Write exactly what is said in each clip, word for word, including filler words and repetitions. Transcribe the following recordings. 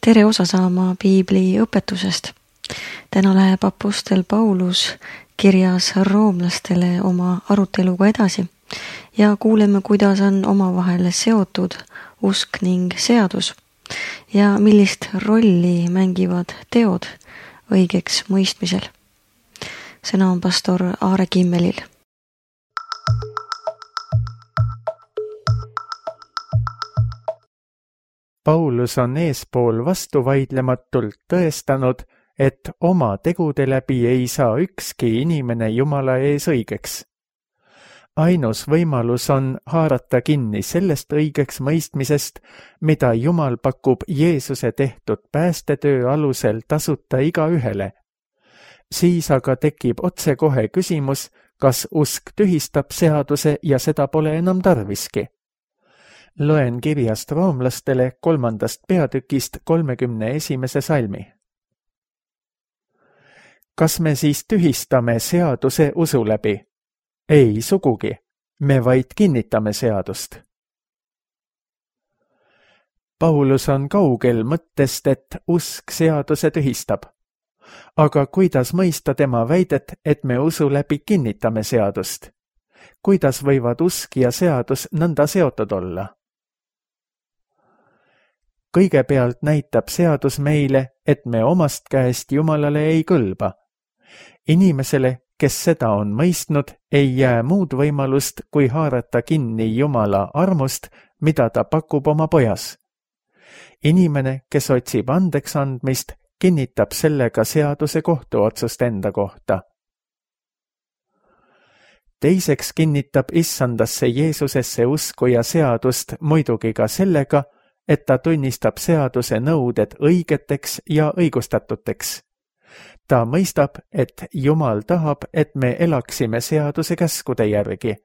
tere osa saama piibli õpetusest. Täna läheb apostel Paulus kirjas roomlastele oma aruteluga edasi ja kuuleme, kuidas on omavahel seotud usk ning seadus ja millist rolli mängivad teod õigeks mõistmisel. Sõna on pastor Aare Kimmelil. Paulus on eespool vastuvaidlematult tõestanud, et oma tegude läbi ei saa ükski inimene Jumala ees õigeks. Ainus võimalus on haarata kinni sellest õigeks mõistmisest, mida Jumal pakub Jeesuse tehtud päästetöö alusel tasuta igaühele. Siis aga tekib otsekohe küsimus, kas usk tühistab seaduse ja seda pole enam tarviski. Loen kirjast roomlastele kolmandast peatükist kolmekümne esimese salmi. Kas me siis tühistame seaduse usu läbi? Ei sugugi, me vaid kinnitame seadust. Paulus on kaugel mõttest, et usk seaduse tühistab. Aga kuidas mõista tema väidet, et me usu läbi kinnitame seadust? Kuidas võivad usk ja seadus nõnda seotud olla? Kõigepealt näitab seadus meile, et me omast käest Jumalale ei kõlba. Inimesele, kes seda on mõistnud, ei jää muud võimalust, kui haarata kinni Jumala armust, mida ta pakub oma pojas. Inimene, kes otsib andeks andmist, kinnitab sellega seaduse kohtuotsust enda kohta. Teiseks kinnitab issandasse Jeesusesse usku ja seadust muidugi ka sellega, et ta tunnistab seaduse nõuded õigeteks ja õigustatuteks. Ta mõistab, et Jumal tahab, et me elaksime seaduse käskude järgi.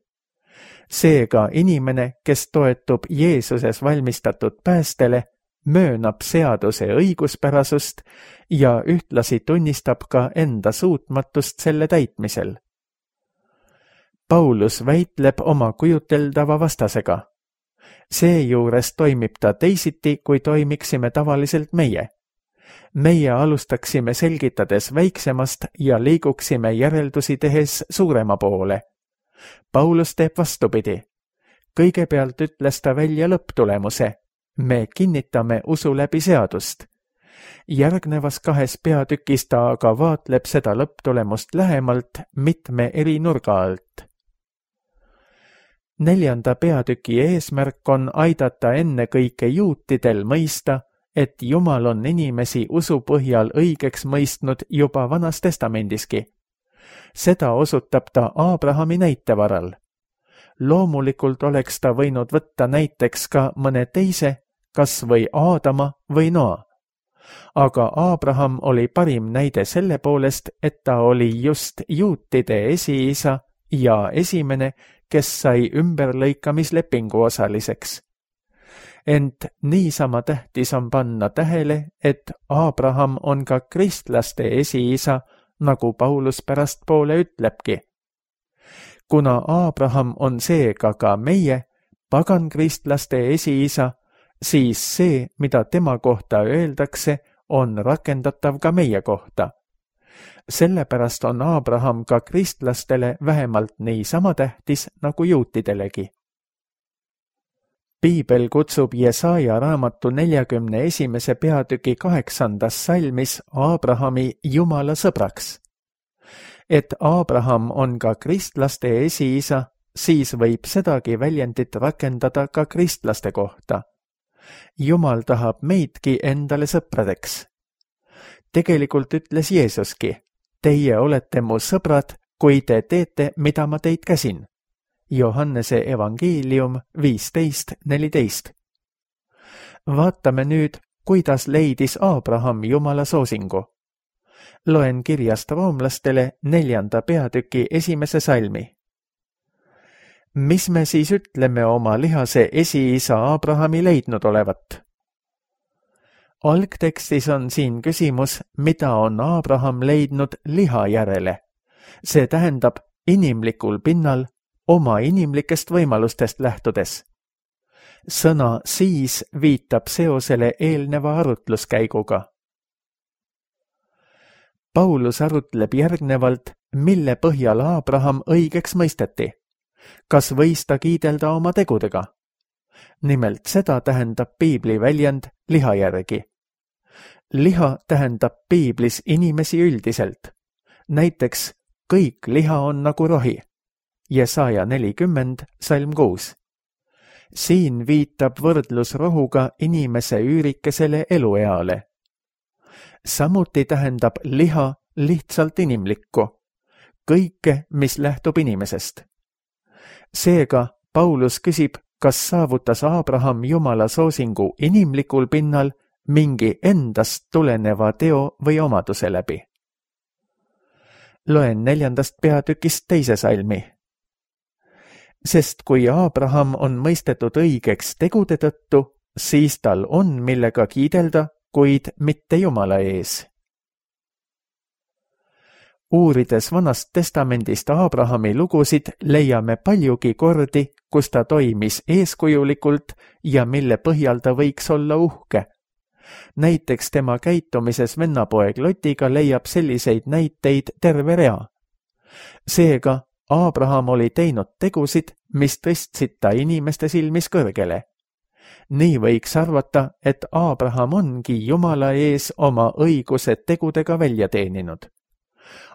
Seega inimene, kes toetub Jeesuses valmistatud päästele, möönab seaduse õiguspärasust ja ühtlasi tunnistab ka enda suutmatust selle täitmisel. Paulus väitleb oma kujuteldava vastasega. Seejuures toimib ta teisiti, kui toimiksime tavaliselt meie. Meie alustaksime selgitades väiksemast ja liiguksime järeldusi tehes suurema poole. Paulus teeb vastupidi. Kõigepealt ütles ta välja lõpptulemuse. Me kinnitame usu läbi seadust. Järgnevas kahes peatükis ta aga vaatleb seda lõpptulemust lähemalt mitme eri nurga alt. Neljanda peatüki eesmärk on aidata ennekõike juutidel mõista, et Jumal on inimesi usu põhjal õigeks mõistnud juba Vanas Testamendiski. Seda osutab ta Aabrahami näite varal. Loomulikult oleks ta võinud võtta näiteks ka mõne teise, kas või Aadama või Noa. Aga Aabraham oli parim näide selle poolest, et ta oli just juutide esiisa ja esimene, kes sai ümberlõikamislepingu osaliseks. Ent niisama tähtis on panna tähele, et Aabraham on ka kristlaste esiisa, nagu Paulus pärastpoole ütlebki. Kuna Aabraham on seega ka meie, pagankristlaste esiisa, siis see, mida tema kohta öeldakse, on rakendatav ka meie kohta. Sellepärast on Aabraham ka kristlastele vähemalt niisama tähtis nagu juutidelegi. Piibel kutsub Jesaja raamatu neljakümne esimese peatüki kaheksandas salmis Aabrahami Jumala sõbraks. Et Aabraham on ka kristlaste esiisa, siis võib sedagi väljendit rakendada ka kristlaste kohta. Jumal tahab meidki endale sõpradeks. Tegelikult ütles Jeesuski, teie olete mu sõbrad, kui te teete, mida ma teid käsin. Johannese evangeelium viisteist neliteist. Vaatame nüüd, kuidas leidis Aabraham Jumala soosingu. Loen kirjast roomlastele neljanda peatüki esimese salmi. Mis me siis ütleme oma lihase esiisa Aabrahami leidnud olevat? Algtekstis on siin küsimus, mida on Aabraham leidnud liha järele. See tähendab inimlikul pinnal oma inimlikest võimalustest lähtudes. sõna siis viitab seosele eelneva arutluskäiguga. Paulus arutleb järgnevalt, mille põhjal Abraham õigeks mõisteti. Kas võis ta kiidelda oma tegudega? Nimelt seda tähendab piibli väljend liha järgi. Liha tähendab piiblis inimesi üldiselt. Näiteks kõik liha on nagu rohi. Jesaja nelikümmend, salm kuus. Siin viitab võrdlus rohuga inimese üürikesele elueale. Samuti tähendab liha lihtsalt inimlikku, kõike, mis lähtub inimesest. Seega Paulus küsib, kas saavutas Abraham Jumala soosingu inimlikul pinnal mingi endast tuleneva teo või omaduse läbi. Loen neljandast peatükist teise salmi. Sest kui Abraham on mõistetud õigeks tegude tõttu, siis tal on millega kiidelda, kuid mitte Jumala ees. Uurides Vanast testamendist Abrahami lugusid, leiame paljugi kordi, kus ta toimis eeskujulikult ja mille põhjal ta võiks olla uhke. Näiteks tema käitumises vennapoeg Lotiga leiab selliseid näiteid terve rea. Seega Abraham oli teinud tegusid, mis tõstsid ta inimeste silmis kõrgele. Nii võiks arvata, et Abraham ongi Jumala ees oma õiguse tegudega välja teeninud.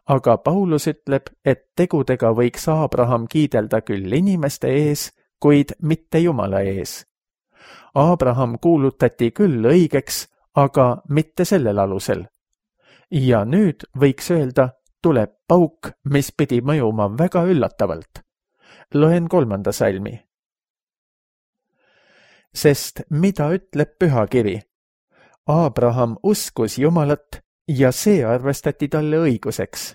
Aga Paulus ütleb, et tegudega võiks Abraham kiidelda küll inimeste ees, kuid mitte Jumala ees. Abraham kuulutati küll õigeks, aga mitte sellel alusel. Ja nüüd võiks öelda, tuleb pauk, mis pidi mõjuma väga üllatavalt. Loen kolmanda salmi. Sest mida ütleb pühakiri? Abraham uskus Jumalat ja see arvestati talle õiguseks.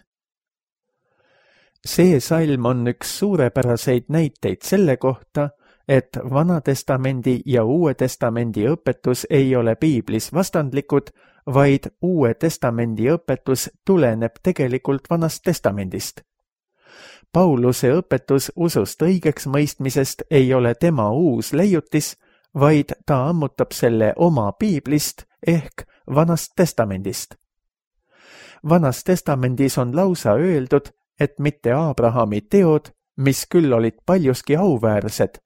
See salm on üks suurepäraseid näiteid selle kohta, et Vanatestamendi ja Uue Testamendi õpetus ei ole piiblis vastandlikud, vaid Uue Testamendi õpetus tuleneb tegelikult Vanast Testamendist. Pauluse õpetus usust õigeks mõistmisest ei ole tema uus leiutis, vaid ta ammutab selle oma piiblist ehk Vanast Testamendist. Vanas Testamendis on lausa öeldud, et mitte Abrahami teod, mis küll olid paljuski auväärsed,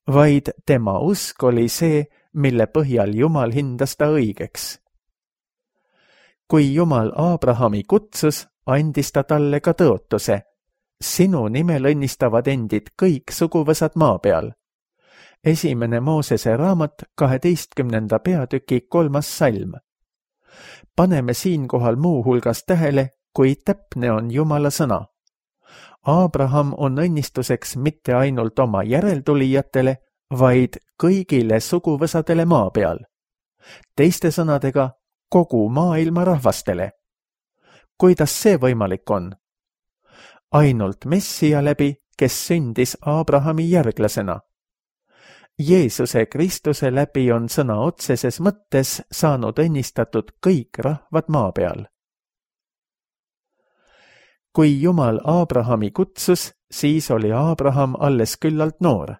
vaid tema usk oli see, mille põhjal Jumal hindas ta õigeks. Kui Jumal Abrahami kutsus, andis ta talle ka tõotuse. Sinu nimel õnnistavad endid kõik suguvõsad maa peal. Esimene Moosese raamat kaheteistkümnenda peatüki kolmas salm. Paneme siinkohal muu hulgas tähele, kui täpne on Jumala sõna. Abraham on õnnistuseks mitte ainult oma järeltulijatele, vaid kõigile suguvõsadele maa peal. Teiste sõnadega, kogu maailma rahvastele. Kuidas see võimalik on? Ainult Messia läbi, kes sündis Abrahami järglasena. Jeesuse Kristuse läbi on sõna otseses mõttes saanud õnnistatud kõik rahvad maa peal. Kui Jumal Abrahami kutsus, siis oli Abraham alles küllalt noor.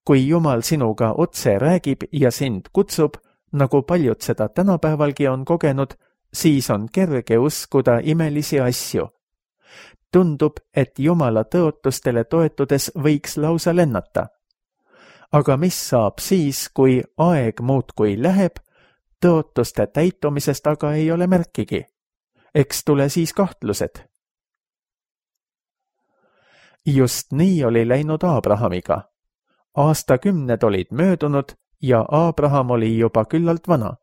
Kui Jumal sinuga otse räägib ja sind kutsub, nagu paljud seda tänapäevalgi on kogenud, siis on kerge uskuda imelisi asju. Tundub, et Jumala tõotustele toetudes võiks lausa lennata. Aga mis saab siis, kui aeg muudkui läheb, tõotuste täitumisest aga ei ole märkigi? Eks tule siis kahtlused. Just nii oli läinud Abrahamiga. Aastakümned olid möödunud ja Abraham oli juba küllalt vana.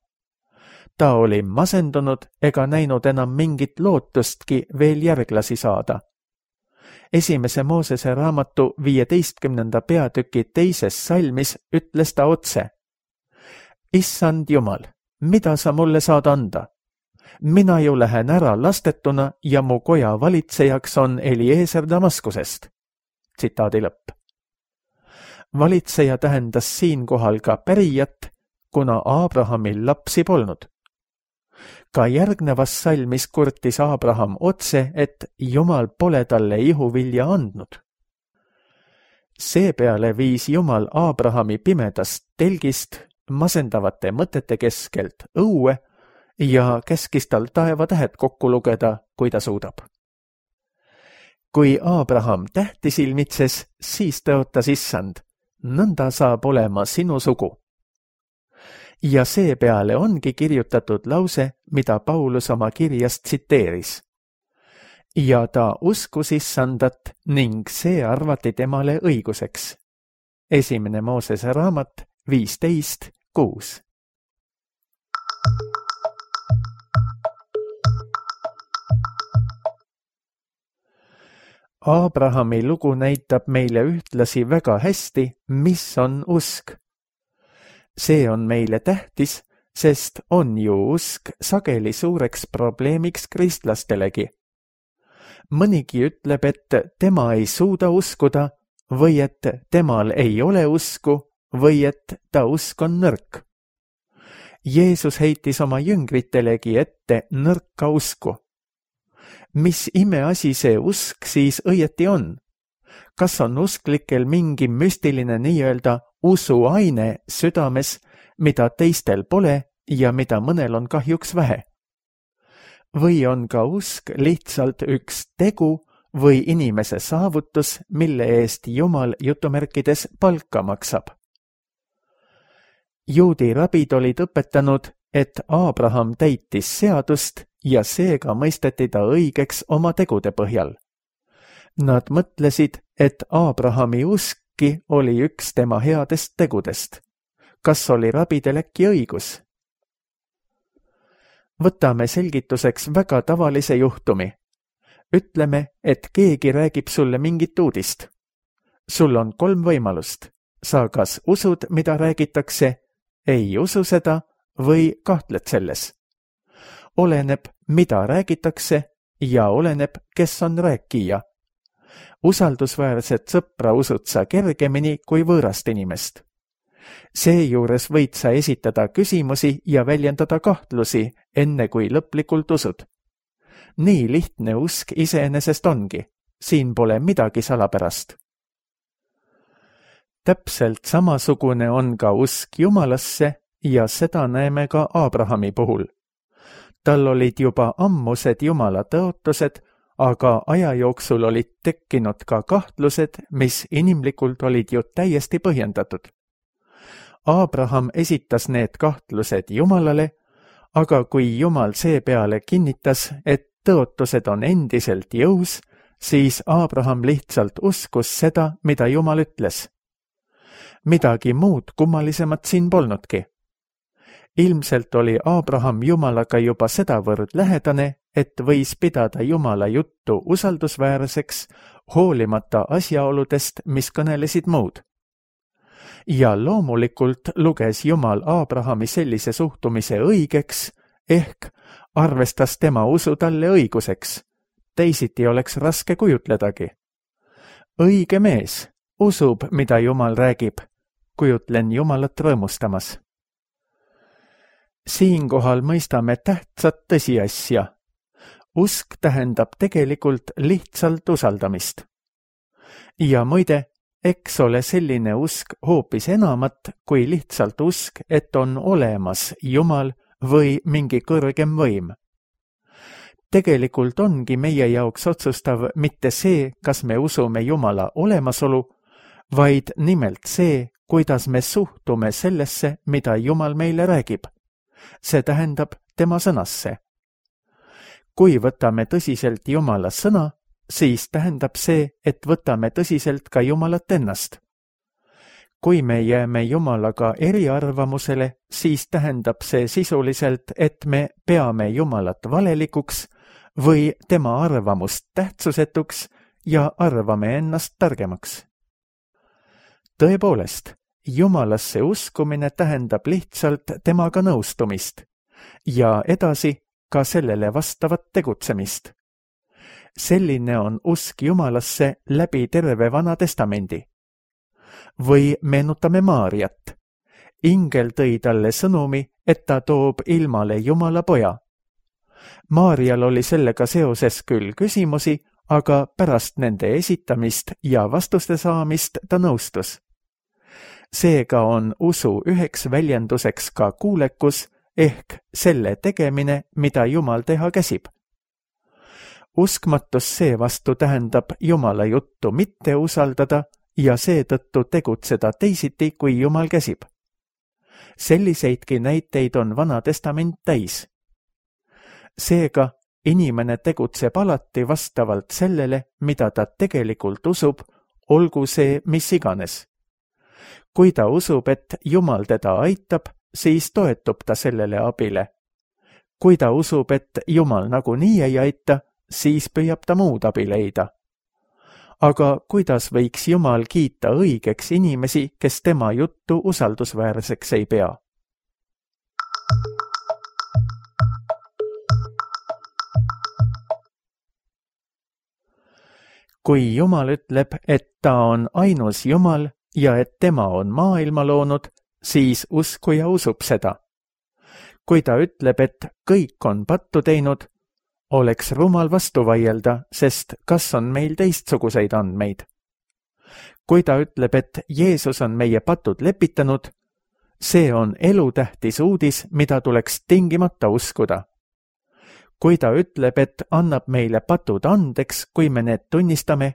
Ta oli masendunud ega näinud enam mingit lootustki veel järglasi saada. Esimese Moosese raamatu viieteistkümnenda peatüki teises salmis ütles ta otse. Issand Jumal, mida sa mulle saad anda? Mina ju lähen ära lastetuna ja mu koja valitsejaks on Eliezer Damaskusest. Tsitaadi lõpp. Valitseja tähendas siinkohal ka pärijat, kuna Abrahamil lapsi polnud. Ka järgnevas salmis kurtis Abraham otse, et Jumal pole talle ihuvilja andnud. Seepeale viis Jumal Abrahami pimedast telgist masendavate mõtete keskelt õue ja käskis tal taevatähed kokku lugeda, kui ta suudab. Kui Abraham tähti silmitses, siis tõotas issand, nõnda saab olema sinu sugu. Ja seepeale ongi kirjutatud lause, mida Paulus oma kirjast tsiteeris. Ja ta uskus issandat ning see arvati temale õiguseks. Esimene Moosese raamat viisteist kuus. Abrahami lugu näitab meile ühtlasi väga hästi, mis on usk. See on meile tähtis, sest on ju usk sageli suureks probleemiks kristlastelegi. Mõnigi ütleb, et tema ei suuda uskuda või et temal ei ole usku või et ta usk on nõrk. Jeesus heitis oma jüngritelegi ette nõrka usku. Mis imeasi see usk siis õieti on? Kas on usklikel mingi müstiline nii-öelda usuaine südames, mida teistel pole ja mida mõnel on kahjuks vähe? Või on ka usk lihtsalt üks tegu või inimese saavutus, mille eest Jumal jutumärkides palka maksab? Juudi rabid olid õpetanud, et Abraham täitis seadust ja seega mõisteti ta õigeks oma tegude põhjal. Nad mõtlesid, et Abrahami uskki oli üks tema headest tegudest. Kas oli rabidel äkki õigus? Võtame selgituseks väga tavalise juhtumi. Ütleme, et keegi räägib sulle mingit uudist. Sul on kolm võimalust. Sa kas usud, mida räägitakse, ei usu seda või kahtled selles. Oleneb, mida räägitakse ja oleneb, kes on rääkija. Usaldusväärset sõpra usud sa kergemini kui võõrast inimest. Seejuures võid sa esitada küsimusi ja väljendada kahtlusi, enne kui lõplikult usud. Nii lihtne usk iseenesest ongi. Siin pole midagi salapärast. Täpselt samasugune on ka usk Jumalasse ja seda näeme ka Abrahami puhul. Tal olid juba ammused Jumala tõotused, aga aja jooksul olid tekkinud ka kahtlused, mis inimlikult olid ju täiesti põhjendatud. Abraham esitas need kahtlused Jumalale, aga kui Jumal seepeale kinnitas, et tõotused on endiselt jõus, siis Abraham lihtsalt uskus seda, mida Jumal ütles. Midagi muud kummalisemat siin polnudki. Ilmselt oli Abraham Jumalaga juba sedavõrd lähedane, et võis pidada Jumala juttu usaldusväärseks, hoolimata asjaoludest, mis kõnelesid muud. Ja loomulikult luges Jumal Abrahami sellise suhtumise õigeks, ehk arvestas tema usu talle õiguseks. Teisiti oleks raske kujutledagi. Õige mees usub, mida Jumal räägib. Kujutlen Jumalat rõõmustamas. Siinkohal mõistame tähtsat tõsiasja. Usk tähendab tegelikult lihtsalt usaldamist. Ja muide, eks ole selline usk hoopis enamat kui lihtsalt usk, et on olemas Jumal või mingi kõrgem võim. Tegelikult ongi meie jaoks otsustav mitte see, kas me usume Jumala olemasolu, vaid nimelt see, kuidas me suhtume sellesse, mida Jumal meile räägib. See tähendab tema sõnasse. Kui võtame tõsiselt Jumala sõna, siis tähendab see, et võtame tõsiselt ka Jumalat ennast. Kui me jääme Jumalaga eriarvamusele, siis tähendab see sisuliselt, et me peame Jumalat valelikuks või tema arvamust tähtsusetuks ja arvame ennast targemaks. Tõepoolest, Jumalasse uskumine tähendab lihtsalt temaga nõustumist ja edasi ka sellele vastavat tegutsemist. Selline on usk Jumalasse läbi terve Vana Testamendi. Või meenutame Maariat. Ingel tõi talle sõnumi, et ta toob ilmale Jumala poja. Maarial oli sellega seoses küll küsimusi, aga pärast nende esitamist ja vastuste saamist ta nõustus. Seega on usu üheks väljenduseks ka kuulekus ehk selle tegemine, mida Jumal teha käsib. Uskmatus seevastu tähendab Jumala juttu mitte usaldada ja seetõttu tegutseda teisiti, kui Jumal käsib. Selliseidki näiteid on Vana Testament täis. Seega inimene tegutseb alati vastavalt sellele, mida ta tegelikult usub, olgu see mis iganes. Kui ta usub, et Jumal teda aitab, siis toetub ta sellele abile. Kui ta usub, et Jumal nagunii ei aita, siis püüab ta muud abi leida. Aga kuidas võiks Jumal kiita õigeks inimesi, kes tema juttu usaldusväärseks ei pea? Kui Jumal ütleb, et ta on ainus Jumal ja et tema on maailma loonud, siis uskuja usub seda. Kui ta ütleb, et kõik on pattu teinud, oleks rumal vastu vaielda, sest kas on meil teistsuguseid andmeid? Kui ta ütleb, et Jeesus on meie patud lepitanud, see on elutähtis uudis, mida tuleks tingimata uskuda. Kui ta ütleb, et annab meile patud andeks, kui me need tunnistame,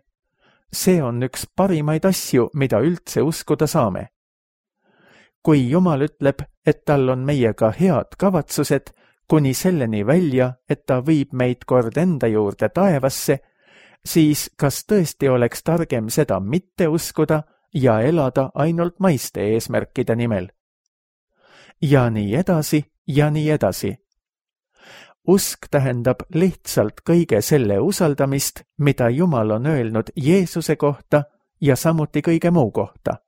see on üks parimaid asju, mida üldse uskuda saame. Kui Jumal ütleb, et tal on meiega head kavatsused, kuni selleni välja, et ta viib meid kord enda juurde taevasse, siis kas tõesti oleks targem seda mitte uskuda ja elada ainult maiste eesmärkide nimel? Ja nii edasi ja nii edasi. Usk tähendab lihtsalt kõige selle usaldamist, mida Jumal on öelnud Jeesuse kohta ja samuti kõige muu kohta.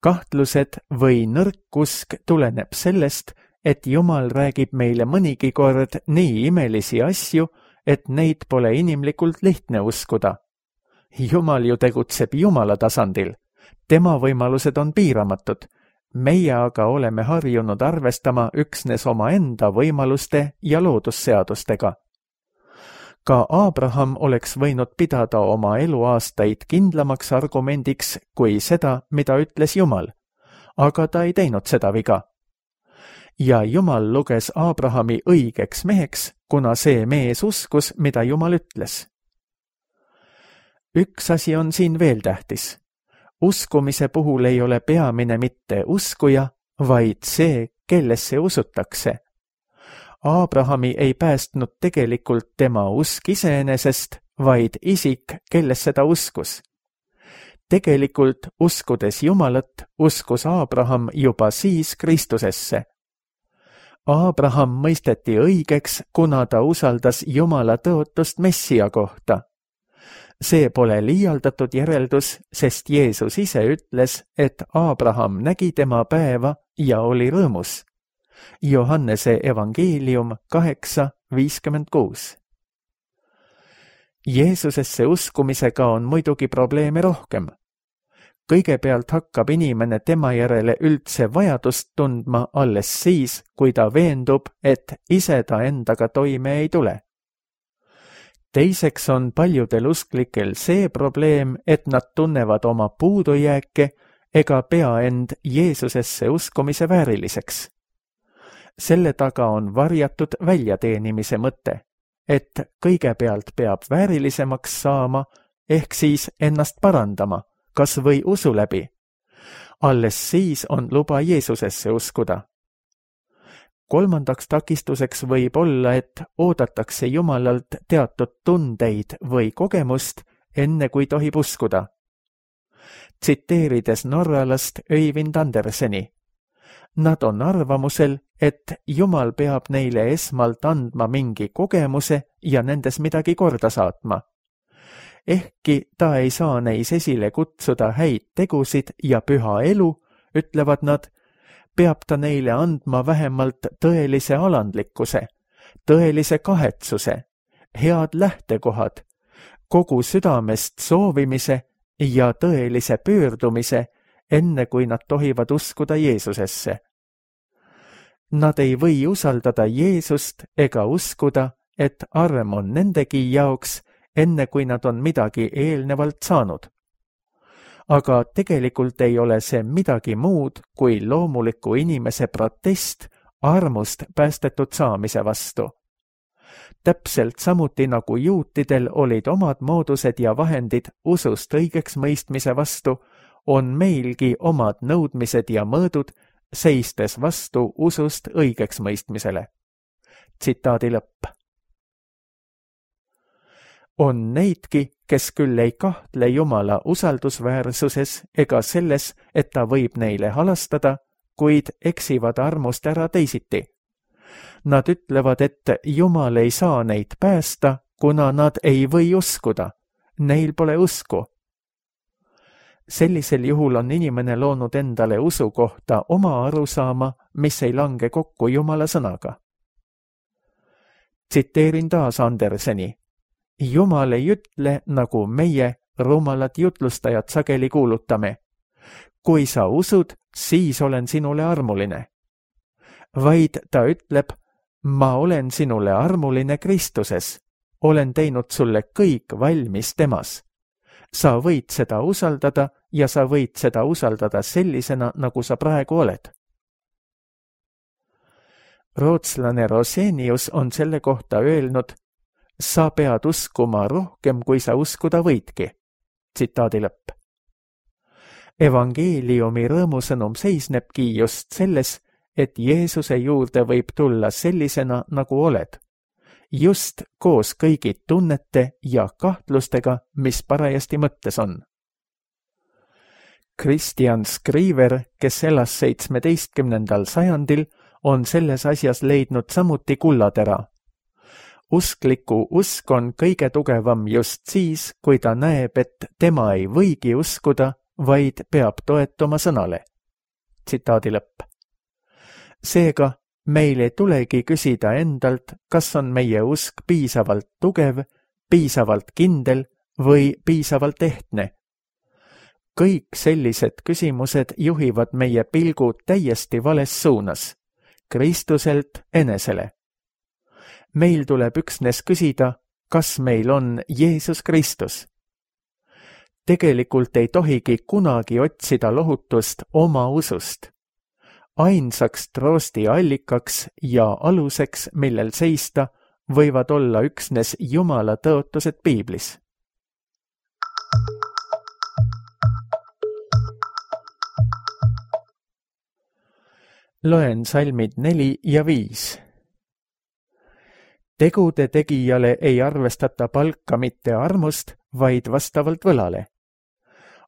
Kahtlused või nõrk usk tuleneb sellest, et Jumal räägib meile mõnigi kord nii imelisi asju, et neid pole inimlikult lihtne uskuda. Jumal ju tegutseb Jumala tasandil. Tema võimalused on piiramatud. Meie aga oleme harjunud arvestama üksnes oma enda võimaluste ja loodusseadustega. Ka Abraham oleks võinud pidada oma eluaastaid kindlamaks argumendiks kui seda, mida ütles Jumal, aga ta ei teinud seda viga. Ja Jumal luges Abrahami õigeks meheks, kuna see mees uskus, mida Jumal ütles. Üks asi on siin veel tähtis. Uskumise puhul ei ole peamine mitte uskuja, vaid see, kellesse usutakse. Abrahami ei päästnud tegelikult tema usk iseenesest, vaid isik, kellesse ta uskus. Tegelikult uskudes Jumalat, uskus Abraham juba siis Kristusesse. Abraham mõisteti õigeks, kuna ta usaldas Jumala tõotust Messia kohta. See pole liialdatud järeldus, sest Jeesus ise ütles, et Abraham nägi tema päeva ja oli rõõmus. Johannese evangeelium kaheksa viiskümmend kuus. Jeesusesse uskumisega on muidugi probleeme rohkem. Kõigepealt hakkab inimene tema järele üldse vajadust tundma alles siis, kui ta veendub, et ise ta endaga toime ei tule. Teiseks on paljudel usklikel see probleem, et nad tunnevad oma puudujääke ega pea end Jeesusesse uskumise vääriliseks. Selle taga on varjatud väljateenimise mõte, et kõigepealt peab väärilisemaks saama ehk siis ennast parandama, kas või usu läbi. Alles siis on luba Jeesusesse uskuda. Kolmandaks takistuseks võib olla, et oodatakse Jumalalt teatud tundeid või kogemust, enne kui tohib uskuda. Tsiteerides norralast Øyvind Anderseni. Nad on arvamusel, et Jumal peab neile esmalt andma mingi kogemuse ja nendes midagi korda saatma. Ehkki ta ei saa neis esile kutsuda häid tegusid ja püha elu, ütlevad nad, peab ta neile andma vähemalt tõelise alandlikkuse, tõelise kahetsuse, head lähtekohad, kogu südamest soovimise ja tõelise pöördumise, enne kui nad tohivad uskuda Jeesusesse. Nad ei või usaldada Jeesust ega uskuda, et arm on nendegi jaoks, enne kui nad on midagi eelnevalt saanud. Aga tegelikult ei ole see midagi muud kui loomuliku inimese protest armust päästetud saamise vastu. Täpselt samuti nagu juutidel olid omad moodused ja vahendid usust õigeks mõistmise vastu, on meilgi omad nõudmised ja mõõdud, seistes vastu usust õigeks mõistmisele. Tsitaadi lõpp. On neidki, kes küll ei kahtle Jumala usaldusväärsuses ega selles, et ta võib neile halastada, kuid eksivad armust ära teisiti. Nad ütlevad, et Jumal ei saa neid päästa, kuna nad ei või uskuda. Neil pole usku. Sellisel juhul on inimene loonud endale usu kohta oma arusaama, mis ei lange kokku Jumala sõnaga. Tsiteerin taas Anderseni. Jumal ei ütle, nagu meie, rumalad jutlustajad, sageli kuulutame. Kui sa usud, siis olen sinule armuline. Vaid ta ütleb, ma olen sinule armuline Kristuses. Olen teinud sulle kõik valmis temas. Sa võid seda usaldada ja sa võid seda usaldada sellisena, nagu sa praegu oled. Rootslane Rosenius on selle kohta öelnud, sa pead uskuma rohkem, kui sa uskuda võidki. Tsitaadi lõpp. Evangeeliumi rõõmusõnum seisnebki just selles, et Jeesuse juurde võib tulla sellisena, nagu oled. Just koos kõigi tunnete ja kahtlustega, mis parajasti mõttes on. Christian Skriver, kes elas seitsmeteistkümnendal sajandil, on selles asjas leidnud samuti kullatera. Uskliku usk on kõige tugevam just siis, kui ta näeb, et tema ei võigi uskuda, vaid peab toetuma sõnale. Tsitaadi lõpp. Seega, meil ei tulegi küsida endalt, kas on meie usk piisavalt tugev, piisavalt kindel või piisavalt ehtne. Kõik sellised küsimused juhivad meie pilgu täiesti vales suunas, Kristuselt enesele. Meil tuleb üksnes küsida, kas meil on Jeesus Kristus. Tegelikult ei tohigi kunagi otsida lohutust oma usust. Ainsaks troosti allikaks ja aluseks, millel seista, võivad olla üksnes Jumala tõotused Piiblis. Loen salmid neli ja viis. Tegude tegijale ei arvestata palka mitte armust, vaid vastavalt võlale.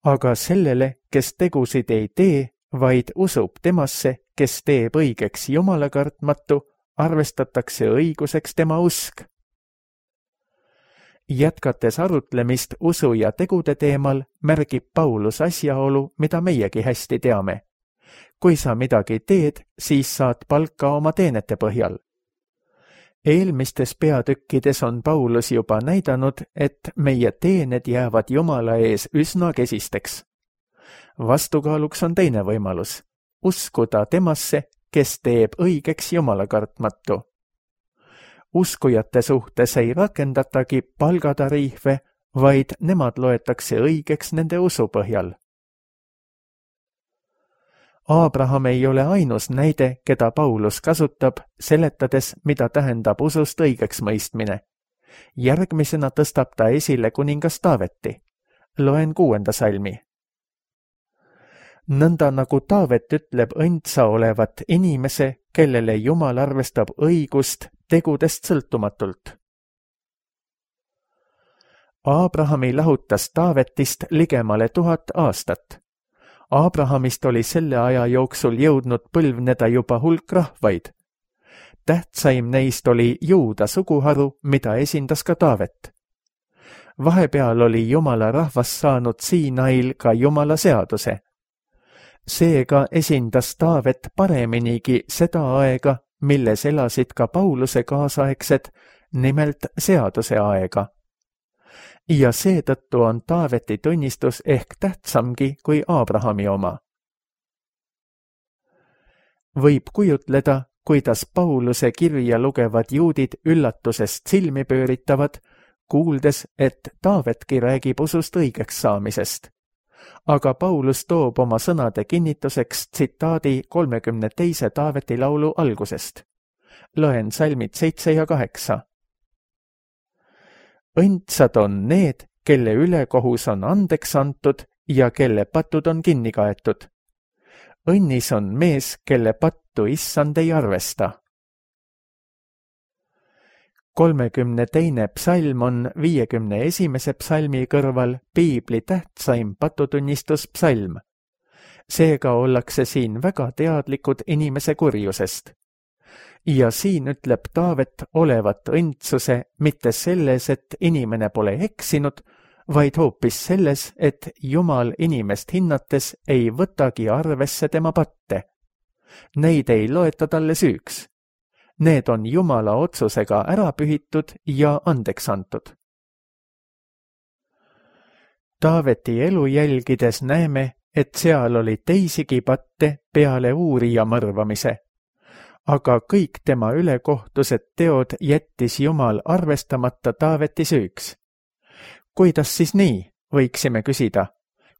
Aga sellele, kes tegusid ei tee, vaid usub temasse, kes teeb õigeks Jumala kartmatu, arvestatakse õiguseks tema usk. Jätkates arutlemist usu ja tegude teemal, märgib Paulus asjaolu, mida meiegi hästi teame. Kui sa midagi teed, siis saad palka oma teenete põhjal. Eelmistes peatükkides on Paulus juba näidanud, et meie teened jäävad Jumala ees üsna kesisteks. Vastukaaluks on teine võimalus, uskuda temasse, kes teeb õigeks Jumala kartmatu. Uskujate suhtes ei rakendatagi palgatariife, vaid nemad loetakse õigeks nende usu põhjal. Abraham ei ole ainus näide, keda Paulus kasutab, seletades, mida tähendab usust õigeks mõistmine. Järgmisena tõstab ta esile kuningas Taaveti. Loen kuuenda salmi. Nõnda nagu Taavet ütleb õndsa olevat inimese, kellele Jumal arvestab õigust tegudest sõltumatult. Abrahami lahutas Taavetist ligemale tuhat aastat. Abrahamist oli selle aja jooksul jõudnud põlvneda juba hulk rahvaid. Tähtsaim neist oli Juuda suguharu, mida esindas ka Taavet. Vahepeal oli Jumala rahvas saanud Siinail ka Jumala seaduse. Seega esindas Taavet pareminigi seda aega, milles elasid ka Pauluse kaasaegsed, nimelt seaduse aega. Ja seetõttu on Taaveti tunnistus ehk tähtsamgi kui Abrahami oma. Võib kujutleda, kuidas Pauluse kirja lugevad juudid üllatusest silmi pööritavad, kuuldes, et Taavetki räägib usust õigeks saamisest. Aga Paulus toob oma sõnade kinnituseks tsitaadi kolmekümne teise Taaveti laulu algusest. Loen salmid seitse ja kaheksa. Õndsad on need, kelle ülekohus on andeks antud ja kelle patud on kinni kaetud. Õnnis on mees, kelle pattu issand ei arvesta. kolmekümne teine psalm on viiekümne esimese psalmi kõrval piibli tähtsaim patutunnistuspsalm. Seega ollakse siin väga teadlikud inimese kurjusest. Ja siin ütleb Taavet olevat õndsuse mitte selles, et inimene pole eksinud, vaid hoopis selles, et Jumal inimest hinnates ei võtagi arvesse tema patte. Neid ei loeta talle süüks. Need on Jumala otsusega ära pühitud ja andeks antud. Taaveti elu jälgides näeme, et seal oli teisigi patte peale uurija mõrvamise. Aga kõik tema ülekohtused teod jättis Jumal arvestamata Taaveti süüks. Kuidas siis nii, võiksime küsida?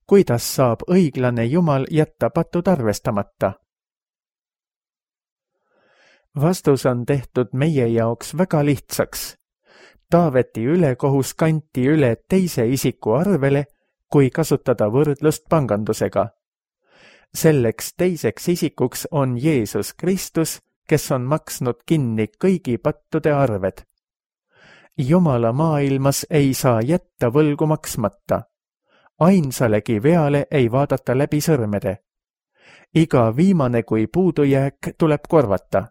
Kuidas saab õiglane Jumal jätta patud arvestamata? Vastus on tehtud meie jaoks väga lihtsaks. Taaveti ülekohus kanti üle teise isiku arvele, kui kasutada võrdlust pangandusega. Selleks teiseks isikuks on Jeesus Kristus, kes on maksnud kinni kõigi pattude arved. Jumala maailmas ei saa jätta võlgu maksmata. Ainsalegi veale ei vaadata läbi sõrmede. Iga viimane kui puudujääk tuleb korvata.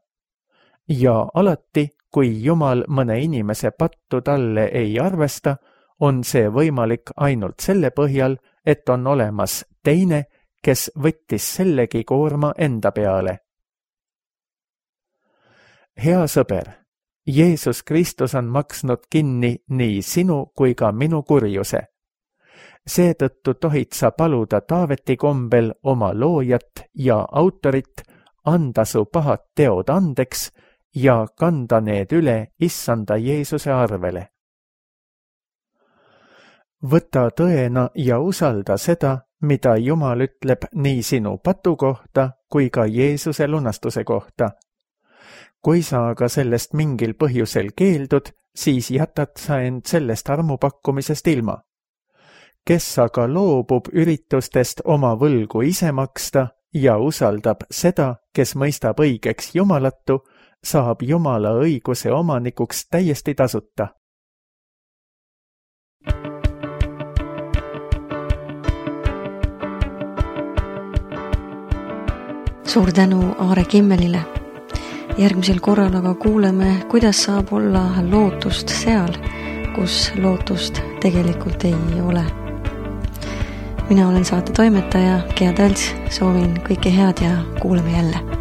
Ja alati, kui Jumal mõne inimese pattu talle ei arvesta, on see võimalik ainult selle põhjal, et on olemas teine, kes võttis sellegi koorma enda peale. Hea sõber, Jeesus Kristus on maksnud kinni nii sinu kui ka minu kurjuse. Seetõttu tohid sa paluda Taaveti kombel oma loojat ja autorit anda su pahad teod andeks ja kanda need üle issanda Jeesuse arvele. Võta tõena ja usalda seda, mida Jumal ütleb nii sinu patu kohta kui ka Jeesuse lunastuse kohta. Kui sa aga sellest mingil põhjusel keeldud, siis jätad sa end sellest armupakkumisest ilma. Kes aga loobub üritustest oma võlgu ise maksta ja usaldab seda, kes mõistab õigeks Jumalatu, saab Jumala õiguse omanikuks täiesti tasuta. Suur tänu Aare Kimmelile. Järgmisel korral aga kuuleme, kuidas saab olla lootust seal, kus lootust tegelikult ei ole. Mina olen saate toimetaja Gea Tälts, soovin kõike head ja kuuleme jälle.